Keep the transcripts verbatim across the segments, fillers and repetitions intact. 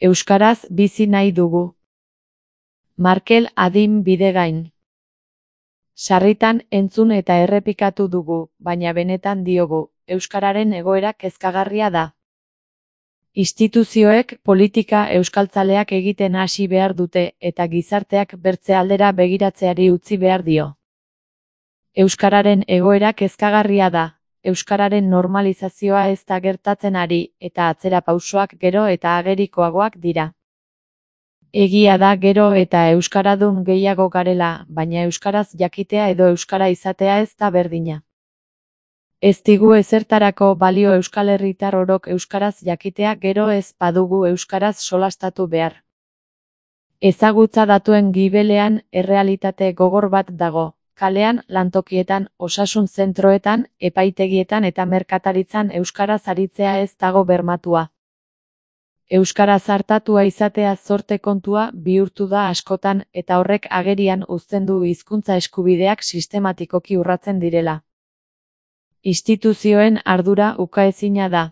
Euskaraz bizi nahi dugu. Markel Adin Bidegain. Sarritan entzun eta errepikatu dugu, baina benetan diogu, euskararen egoera kezkagarria da. Instituzioek politika euskaltzaleak egiten hasi behar dute eta gizarteak bertze aldera begiratzeari utzi behar dio. Euskararen egoera kezkagarria da, euskararen normalizazioa ez da gertatzen ari eta atzera pausoak gero eta agerikoagoak dira. Egia da gero eta euskaradun gehiago garela, baina euskaraz jakitea edo euskara izatea ez da berdina. Ez digu ezertarako balio euskal herritar orok euskaraz jakitea gero ez badugu euskaraz solastatu behar. Ezagutza datuen gibelean errealitate gogor bat dago, kalean, lantokietan, osasun zentroetan, epaitegietan eta merkataritzan euskaraz aritzea ez dago bermatua. Euskaraz hartatua izatea zorte kontua bihurtu da askotan eta horrek agerian uzten du hizkuntza eskubideak sistematikoki urratzen direla. Instituzioen ardura ukaezina da.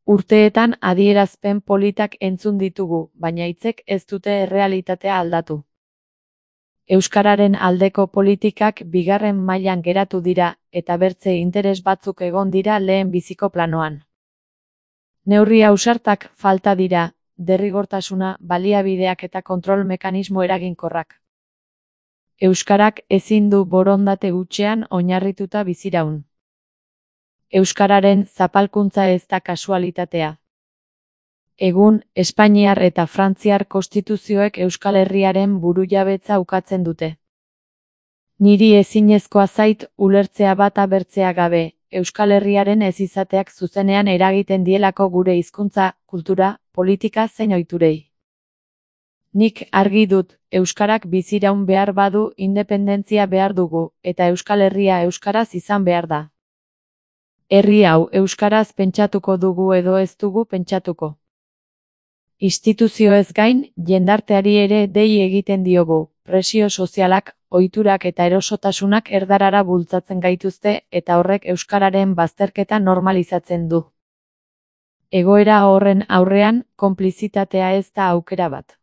Urteetan adierazpen politak entzun ditugu, baina hitzek ez dute errealitatea aldatu. Euskararen aldeko politikak bigarren mailan geratu dira eta bertze interes batzuk egon dira lehen biziko planoan. Neurri ausartak falta dira, derrigortasuna, baliabideak eta kontrol mekanismo eraginkorrak. Euskarak ezin du borondate hutsean oinarrituta biziraun. Euskararen zapalkuntza ez da kasualitatea. Egun, Espainiar eta Frantziar konstituzioek Euskal Herriaren burujabetza ukatzen dute. Niri ezinezkoa zait ulertzea bata bertzea gabe, Euskal Herriaren ez izateak zuzenean eragiten dielako gure hizkuntza, kultura, politika zein ohiturei. Nik argi dut, euskarak biziraun behar badu independentzia behar dugu, eta Euskal Herria euskaraz izan behar da. Herri hau euskaraz pentsatuko dugu edo ez dugu pentsatuko. Instituzioez gain, jendarteari ere dei egiten diogu, presio sozialak, ohiturak eta erosotasunak erdarara bultzatzen gaituzte eta horrek euskararen bazterketa normalizatzen du. Egoera horren aurrean, konplizitatea ez da aukera bat.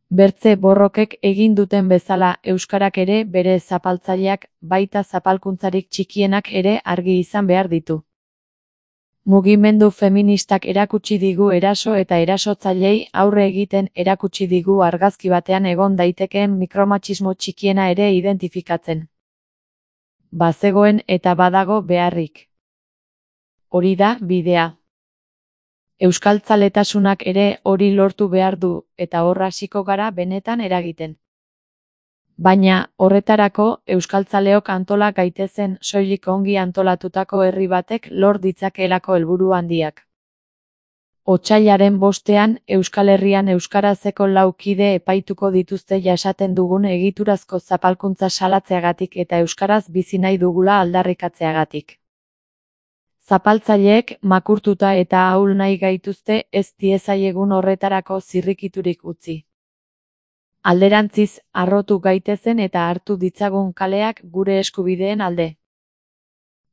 Bertze borrokek egin duten bezala euskarak ere bere zapaltzaileak, baita zapalkuntzarik txikienak ere argi izan behar ditu. Mugimendu feministak erakutsi digu eraso eta erasotzailei aurre egiten erakutsi digu argazki batean egon daitekeen mikromatxismo txikiena ere identifikatzen. Bazegoen eta badago beharrik. Hori da bidea. Euskaltzaletasunak ere hori lortu behar du eta hor hasiko gara benetan eragiten. Baina, horretarako, euskaltzaleok antola gaitezen soilik ongi antolatutako herri batek lor ditzakeelako helburu handiak. Otsailaren bostean, Euskal Herrian euskarazeko lau kide epaituko dituzte jasaten dugun egiturazko zapalkuntza salatzeagatik eta euskaraz bizi nahi dugula aldarrikatzeagatik. Zapaltzaileek makurtuta eta ahul nahi gaituzte ez diezaiegun horretarako zirrikiturik utzi. Alderantziz, harrotu gaitezen eta hartu ditzagun kaleak gure eskubideen alde.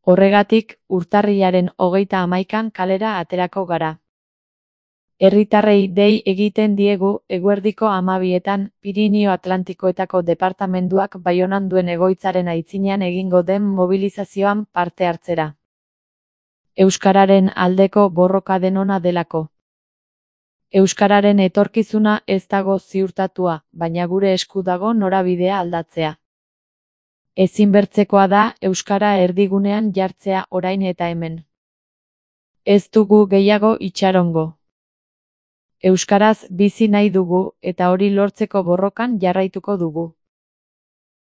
Horregatik, urtarrilaren hogeita hamaikan kalera aterako gara. Herritarrei dei egiten diegu eguerdiko hamabietan Pirinio Atlantikoetako departamenduak Baionan duen egoitzaren aitzinean egingo den mobilizazioan parte hartzera. Euskararen aldeko borroka denona delako. Euskararen etorkizuna ez dago ziurtatua, baina gure esku dago norabidea aldatzea. Ezinbertzekoa da euskara erdigunean jartzea orain eta hemen. Ez dugu gehiago itxarongo. Euskaraz bizi nahi dugu eta hori lortzeko borrokan jarraituko dugu.